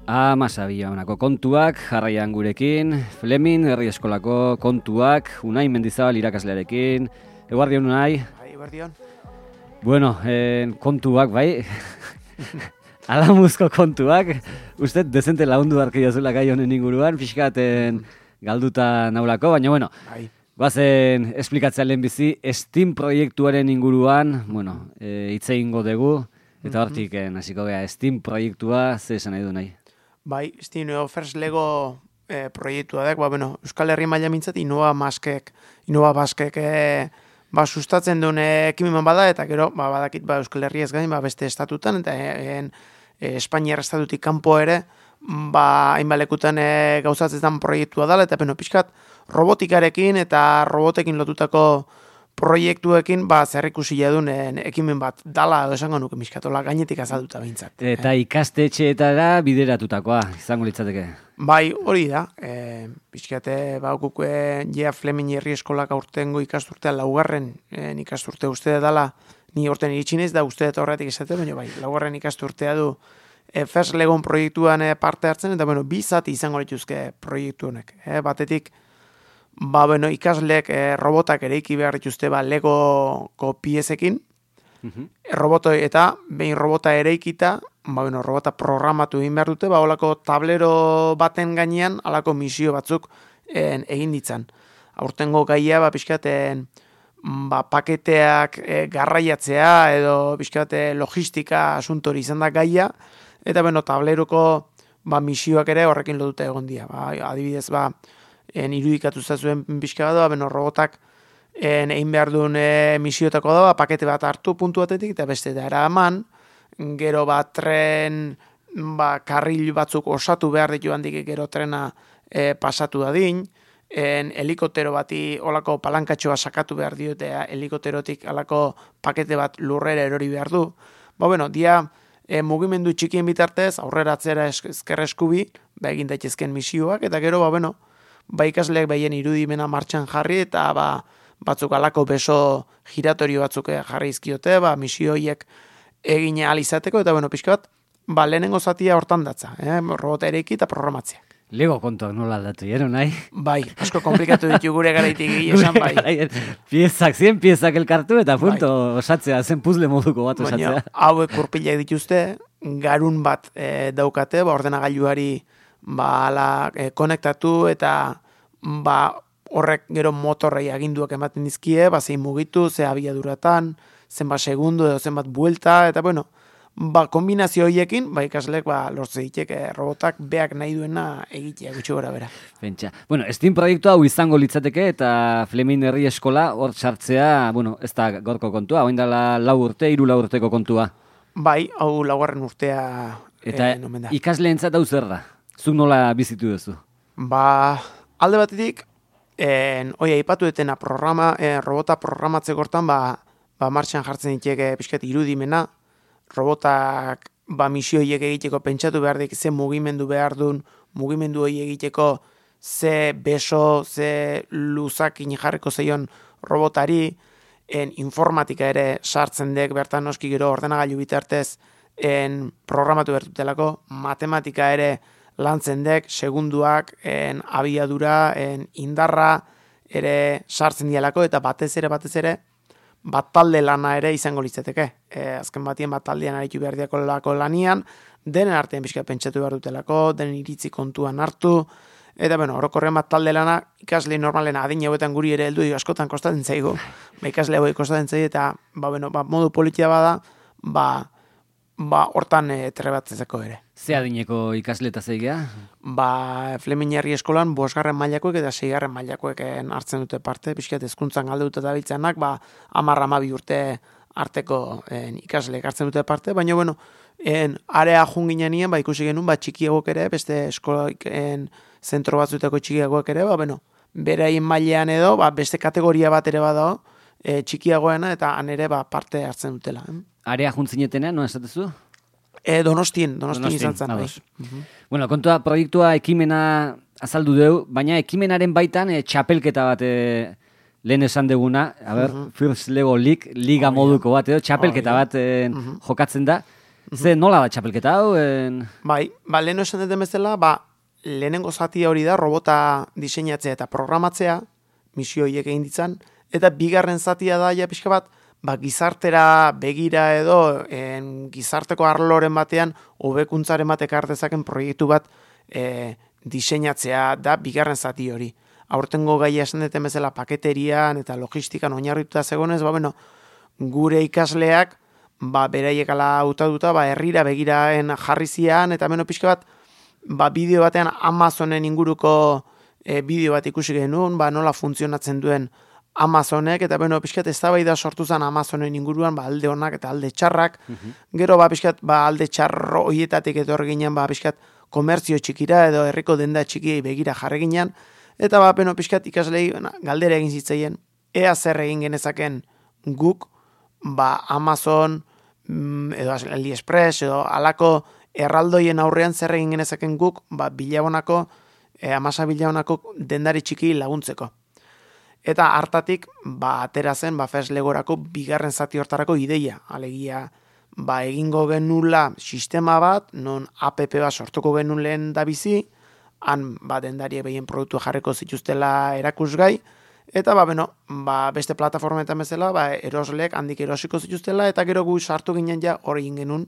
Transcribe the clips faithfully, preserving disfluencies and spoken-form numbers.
Amasabia honako kontuak, jarraian gurekin, Flemin, herri eskolako kontuak, Unai Mendizabal irakaslearekin, eguardion Unai. Bai, eguardion. Bueno, eh, kontuak, bai, alamuzko kontuak, uste dezente lagundu darkia zula gai honen inguruan, pixkaten galduta naulako, baina bueno, bai. Guazen esplikatzea lehen bizi, Steam proiektuaren inguruan, bueno, e, hitz egingo dugu, eta hortik hasiko gea, Steam proiektua, ze esan nahi du nahi? Bai, Steam First Lego eh, proiektua da, ba, bueno, Euskal Herri maila mintzat, Innova Maskek, Innova Baskek eh, ba, sustatzen duen ekimen bada, eta gero, ba, badakit, ba, Euskal Herri ez gain, ba, beste estatutan, eta en, e, Espainiar estatutik kanpo ere, ba, hainbalekutan e, gauzatzetan proiektua dela, eta beno, pixkat, robotikarekin eta robotekin lotutako proiektuekin ba zerrikusia duen ekimen bat dala edo esango nuke miskatola gainetik azalduta behintzat. Eta eh? ikastetxeetara bideratutakoa izango litzateke. Bai, hori da. E, pixkate ba guk Jea Flemin herri eskolak aurtengo ikasturtea laugarren e, ikasturte uste dela ni aurten iritsi naiz da uste dut horretik esate, baina bai, laugarren ikasturtea du e, First Legon proiektuan e, parte hartzen eta bueno, bi zati izango lituzke proiektu honek. E, batetik Ba, bueno, ikasleek eh, robotak ereiki behar dituzte ba, Legoko piezekin, uh-huh. roboto eta behin robota ereikita, ba, bueno, robota programatu egin behar dute, ba, olako tablero baten gainean, alako misio batzuk en, egin ditzan. Aurtengo gaia, ba, pixkaten, ba, paketeak e, garraiatzea, edo pixkate logistika asuntori izan da gaia, eta, bueno, tableroko ba, misioak ere horrekin lotuta egon dira. Ba, adibidez, ba, en irudikatu zazuen pixka bat da, beno robotak en, egin behar duen e, misiotako da, pakete bat hartu puntu batetik, eta beste da eraman, gero bat tren, ba, karril batzuk osatu behar ditu handik gero trena e, pasatu dadin, en helikoptero bati olako palankatxoa sakatu behar dio, eta helikopterotik alako pakete bat lurrera erori behar du. Ba, bueno, dia e, mugimendu txikien bitartez, aurrera atzera ezker eskubi, ba, egin daitezken misioak, eta gero, ba, bueno, ba ikasleak behien irudimena martxan jarri eta ba, batzuk alako beso giratorio batzuk jarri izkiote, ba, misio horiek egine alizateko, eta bueno, pixka bat, ba, lehenengo zatia hortan datza, eh? Robota ereiki eta programatzea. Lego kontuak nola aldatu, jero nahi? Bai, asko komplikatu ditu gure garaitik esan bai. Piezak, zien piezak elkartu eta punto bai. Osatzea, zen puzle moduko bat osatzea. Baina, hauek kurpilak dituzte, garun bat e, daukate, ba, ordenagailuari ba, ala, e, konektatu eta ba, horrek gero motorrei aginduak ematen dizkie, ba, zein mugitu, ze abiaduratan, zenbat segundu edo zenbat buelta, eta bueno, ba, kombinazio horiekin, ba, ikaslek ba, lortze ditek e, robotak beak nahi duena egitea gutxi gora bera. Pentsa. Bueno, Steam proiektua hau izango litzateke eta Flemin herri eskola hor sartzea, bueno, ez da gorko kontua, oin dela lau urte, hiru lau urteko kontua. Bai, hau laugarren urtea eta e, nomen da. Ikasleentzat hau zer da? Zuk nola bizitu duzu? Ba, alde batetik, en, oi, aipatu etena programa, en, robota programatzeko hortan, ba, ba, martxan jartzen diteke pixkat irudimena, robotak ba, misio horiek egiteko pentsatu behar dik, ze mugimendu behar duen, mugimendu hori egiteko ze beso, ze luzakin jarriko zeion robotari, en, informatika ere sartzen dek, bertan noski gero ordenagailu bitartez en, programatu bertutelako, matematika ere lantzen dek, segunduak, en, abiadura, en, indarra ere sartzen dialako, eta batez ere, batez ere, bat talde lana ere izango litzateke. E, azken batien bat taldean aritu behar diako lako lanian, denen artean pixka pentsatu behar dutelako, denen iritzi kontuan hartu, eta bueno, orokorrean bat talde lana, ikasle normalen adin hauetan guri ere heldu, askotan kostatzen zaigu, ba, ikasle hauek kostatzen zaigu, eta ba, bueno, ba, modu politia bada, ba, ba, hortan e, trebatzezeko ere. Ze adineko ikasleta zeigea? Ba, Flemin herri eskolan bosgarren mailakoek eta seigarren mailakoek hartzen dute parte, pixkat hezkuntzan galduta dabiltzanak, ba, hamar hamabi urte arteko en, ikasleek hartzen dute parte, baina bueno, en, area junginean ba, ikusi genuen, ba, txikiagok ere, beste eskolaen zentro batzutako txikiagoak ere, ba, bueno, beraien mailean edo, ba, beste kategoria bat ere badago, e, txikiagoena eta han ere ba, parte hartzen dutela. Eh? Area juntzinetenean, no esatezu? E, donostien, donostien, donostien izan zen. Bai. Uh-huh. Bueno, kontua, proiektua ekimena azaldu dugu, baina ekimenaren baitan e, txapelketa bat e, lehen esan deguna, a ber, uh-huh. First Lego League, liga oh, moduko bat edo, txapelketa oh, bat e, uh-huh. jokatzen da. Ze nola da txapelketa hau? En... Bai, ba, lehen esan dut bezala, ba, lehenengo zatia hori da, robota diseinatzea eta programatzea, misio horiek egin ditzan, eta bigarren zatia da, ja pixka bat, ba, gizartera begira edo, en, gizarteko arloren batean, hobekuntzaren batek artezaken proiektu bat e, diseinatzea da bigarren zati hori. Aurtengo gaia esan duten bezala paketerian eta logistikan oinarrituta zegonez, ba, bueno, gure ikasleak, ba, beraiek ala hautatuta, ba, herrira begiraen jarri zian, eta beno pixka bat, ba, bideo batean Amazonen inguruko e, bideo bat ikusi genuen, ba, nola funtzionatzen duen Amazonek, eta beno pixkat eztabaida sortu zen Amazonen inguruan, ba, alde honak eta alde txarrak, uh-huh. Gero, ba, pixkat, ba, alde txarro hoietatik etorri ginen, ba, pixkat, komertzio txikira edo herriko denda txikiei begira jarri ginen, eta ba, beno pixkat ikaslei galdera egin zitzaien, ea zer egin genezaken guk, ba, Amazon, edo AliExpress, edo alako erraldoien aurrean zer egin genezaken guk, ba, bilabonako, e, amasa bilabonako dendari txiki laguntzeko. Eta hartatik, ba, atera zen, ba, Feslegorako bigarren zati hortarako ideia, alegia, ba, egingo genula sistema bat, non app bat sortuko genuen lehen da bizi, han, ba, dendarie behien produktu jarriko zituztela erakusgai, eta, ba, beno, ba, beste plataformetan bezala, ba, erosleek handik erosiko zituztela, eta gero gu sartu ginen ja hori genuen,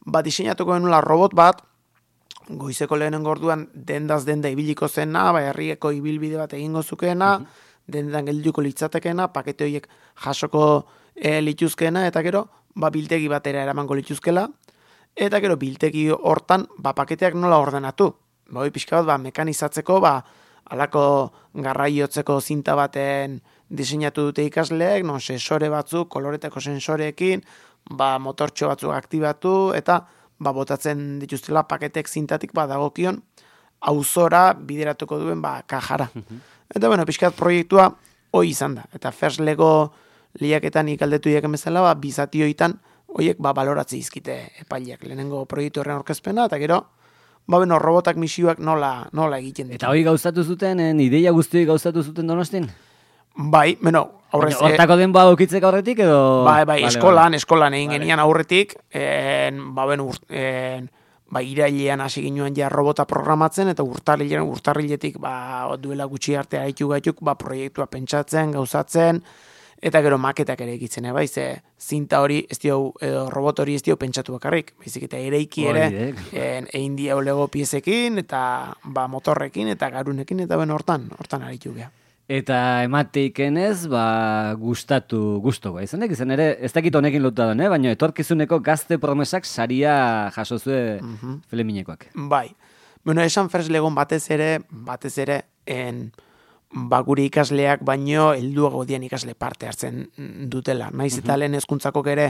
ba, diseinatuko genula robot bat, goizeko lehenen gorduan dendaz denda ibiliko zena, ba, herrieko ibilbide bat egingo zukeena, mm-hmm. dendan gelduko litzatekena, pakete horiek jasoko e, lituzkeena, eta gero, ba, biltegi batera eramango lituzkela, eta gero biltegi hortan, ba, paketeak nola ordenatu. Ba, hoi pixka bat, ba, mekanizatzeko, ba, alako garraiotzeko zinta baten diseinatu dute ikasleek, non sensore batzuk, koloreteko sensoreekin, ba, motortxo batzuk aktibatu, eta ba, botatzen dituztela paketek zintatik, ba, dagokion, auzora bideratuko duen, ba, kajara. Eta, bueno, pixka bat proiektua hoi izan da. Eta First Lego lehiaketan ikaldetu diaken bezala, ba, bizatioitan, hoiek, ba, baloratzi izkite epaileak. Lehenengo proiektu horren orkezpena, eta gero, ba, beno, robotak misioak nola, nola egiten ditu. Eta hori gauzatu zuten, en, ideia guztioi gauzatu zuten Donostin? Bai, beno, aurrez... Hortako den ba okitzek aurretik edo... Bai, bai, vale, eskolan, vale. eskolan egin vale. Genian aurretik, en, ba, beno, en, ba, irailean hasi ginoen ja robota programatzen, eta urtarrilean, urtarriletik, ba, duela gutxi arte haitu gaituk, ba, proiektua pentsatzen, gauzatzen, eta gero maketak ere egitzen, bai, ze zinta hori, ez dio, edo robot hori ez dio pentsatu bakarrik, baizik eta ereiki ere, egin dio lego piezekin, eta ba, motorrekin, eta garunekin, eta ben hortan, hortan aritu geha. Eta emateikenez, ba, gustatu, gustoko, izanek, izan ere, ez dakit honekin lotuta den, eh? Baina etorkizuneko gazte promesak saria jasozue mm-hmm. Fleminekoak. Bai, bueno, esan First Legon batez ere, batez ere, en... ba, gure ikasleak baino helduago dian ikasle parte hartzen dutela. Naiz eta lehen hezkuntzakok ere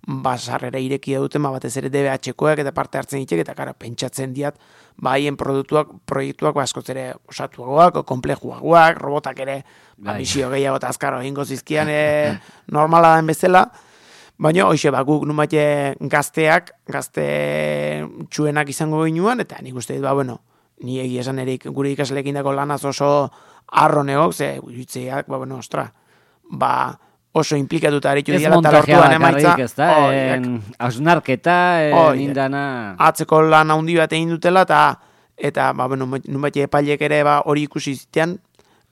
ba, sarrera irekia duten, ba, batez ere D B H-koak eta parte hartzen ditek, eta kara, pentsatzen diat, ba, haien produktuak, proiektuak ba, askoz ere osatuagoak, komplejuagoak, robotak ere, ba, misio gehiago eta azkaro egingo zizkian e, normala den bezala, baina, hoxe, ba, guk numate gazteak, gazte txuenak izango ginuan, eta nik uste dit, ba, bueno, ni egia esan erik gure ikasleekin dako lanaz oso arro negok, ze utziak, ba, bueno, ostra, ba, oso implikatuta aritu diala, eta lortuan emaitza. Ez montajea bakarrik, ez da, hausnarketa, nindana... Atzeko lan handi bat egin dutela, eta, eta ba, bueno, nunbait epailek ere ba, hori ikusi zitean,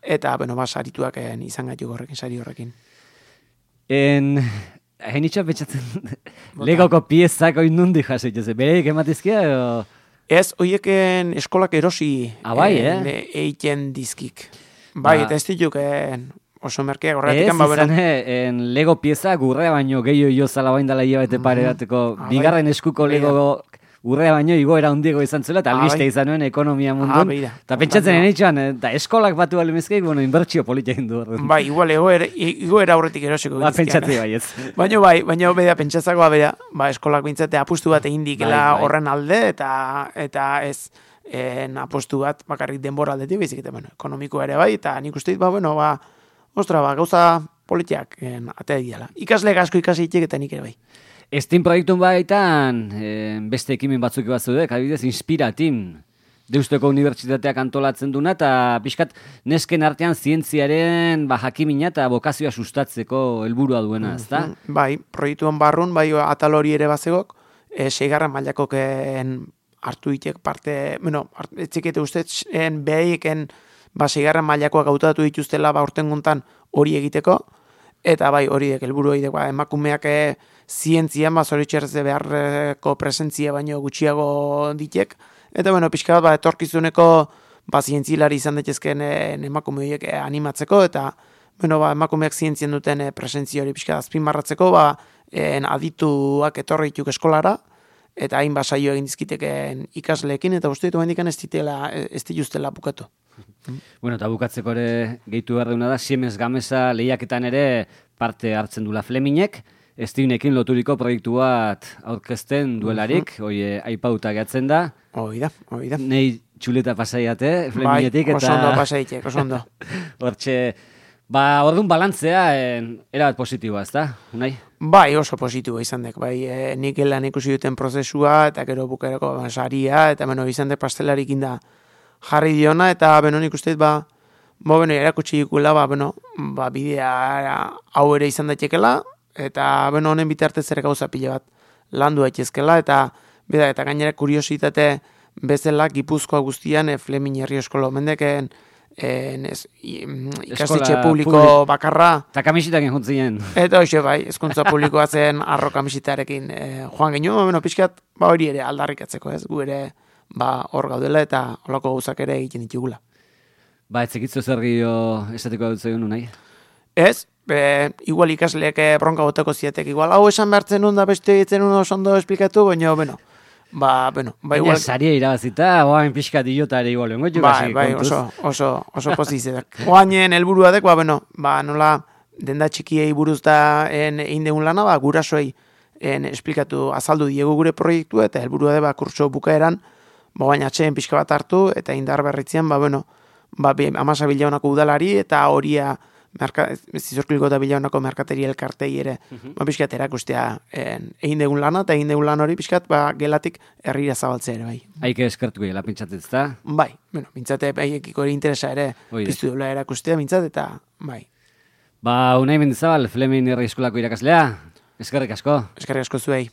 eta, bueno, ba, sarituak izan gaitu horrekin, sari horrekin. En... Hain itxoa petxatzen, legoko piezak oin nundi jasik, bereik ematizkia, edo... Ez, hoieken eskolak erosi ah, bai, eh? Eiten dizkik. Bai, ba. Eta ez dituk oso merkeak horretik. Ez, ba, izan, en Lego pieza gurrea baino gehiago jo zala bain dala hilabete mm-hmm. pare bateko. Ah, bigarren bai. Eskuko Lego gurrea baino igoera hundiego izan zela, eta albiste ah, bai. Izan nuen ekonomia mundun. Ah, eta pentsatzen enitxoan, eta eskolak batu balimezkeik, bueno, inbertsio politia hindu. Bai, igual, igoera horretik erosiko. Ba, pentsatzi bai ez. Baina bai, baina beda pentsatzako bera, ba, eskolak bintzate apustu bat egin dikela bai, bai. Horren alde, eta eta ez en, apustu bat bakarrik denbora aldetik, bezik, eta bueno, ekonomikoa ere bai, eta nik uste dit, ba, bueno, ba, ostra, ba, gauza politiak en, atea diala. Ikasle asko ikasi itek eta nik ere bai. Steam proiektun baitan, eh, beste ekimen batzuk bat zudek, adibidez, Inspiratin, Deusteko Unibertsitateak antolatzen duna, eta pixkat nesken artean zientziaren ba, jakimina eta bokazioa sustatzeko helburua duena, ezta? Mm-hmm. Bai, proiektuen barrun, bai atal hori ere bazegok, e, seigarren mailakoken hartu ditek parte, bueno, etzikete ustetzen behaiken, ba, seigarren mailakoak hautatu dituztela, ba, urtenguntan hori egiteko, eta bai, hori dek, helburu hori dek, ba, emakumeak e, zientzian, ba, zoritxerrez beharreko presentzia baino gutxiago ditek, eta, bueno, pixka bat, ba, etorkizuneko, ba, zientzilari izan daitezkeen e, emakume horiek e, animatzeko, eta, bueno, ba, emakumeak zientzien duten e, presentzia hori pixka azpimarratzeko, ba, en adituak etorri dituk eskolara, eta hain basaio egin dizkiteken ikasleekin, eta uste ditu bendikan ez ditela, ez dituztela bukatu. Bueno, eta bukatzeko ere gehitu behar deuna da, Siemens Gamesa lehiaketan ere parte hartzen dula Fleminek, Stevenekin loturiko proiektu bat aurkezten duelarik, hoi uh -huh. aipauta gehatzen da. Hoi da, hoi da. Nei txuleta pasaiate, Fleminetik. Bai, oso ondo pasaitek, oso ondo. Hortxe, ba, orduan balantzea, en, erabat positiboa, ez da, Unai? Bai, oso positiboa izan dek, bai, e, nik elan ikusi duten prozesua, eta gero bukerako ba, saria, eta beno, izan dek pastelarik inda jarri diona, eta beno, nik uste, ba, bo, beno, erakutsi ikula, ba, beno, ba, bidea hau ere izan daitekela, eta, beno, honen bitartez ere gauza pile bat landu daitezkela, eta, beda, eta gainera kuriositate bezala Gipuzkoa guztian, e, Flemin herri eskola mendeken, En ez, ikastetxe publiko publik, bakarra. Eta kamisitakin juntzien. Eta hoxe bai, ezkuntza publikoa zen arro kamisitarekin e, joan genuen, bueno, pixkat, ba hori ere aldarrikatzeko, ez, gu ere, ba hor gaudela eta holako gauzak ere egiten ditugula. Ba, etzekitzu zer gehiago esateko dut zegoen nahi? Ez, e, igual ikasleek bronka boteko ziatek, igual hau esan behartzen nun da beste egiten nun oso ondo esplikatu, baina, bueno, Ba, bueno, ba igual... Saria irabazita, oain pixka diota ere igual, bengo bai, bai, oso, oso, oso pozizetak. Oainen helburua dek, ba, bueno, ba, nola, denda txikiei buruz da egin degun lana, ba, gurasoei en, esplikatu, azaldu diegu gure proiektu, eta helburua de, ba, kurso bukaeran, ba, baina atxeen pixka bat hartu, eta indar berritzean, ba, bueno, ba, amasa bilaunako udalari, eta horia, zizorkiliko eta bilaunako merkateri elkartei ere, uh -huh. ba, pixkat erakustea egin degun lana, eta egin degun lan hori pixkat, ba, gelatik herrira zabaltzea ere, bai. Haike eskertuko gela, pintzatet, da? Bai, bueno, pintzate, haiekiko ere interesa ere, piztu dola erakustea, pintzat, eta, bai. Ba, Unai Mendizabal, Flemin herri eskolako irakaslea, eskerrik asko. Eskerrik asko zuei.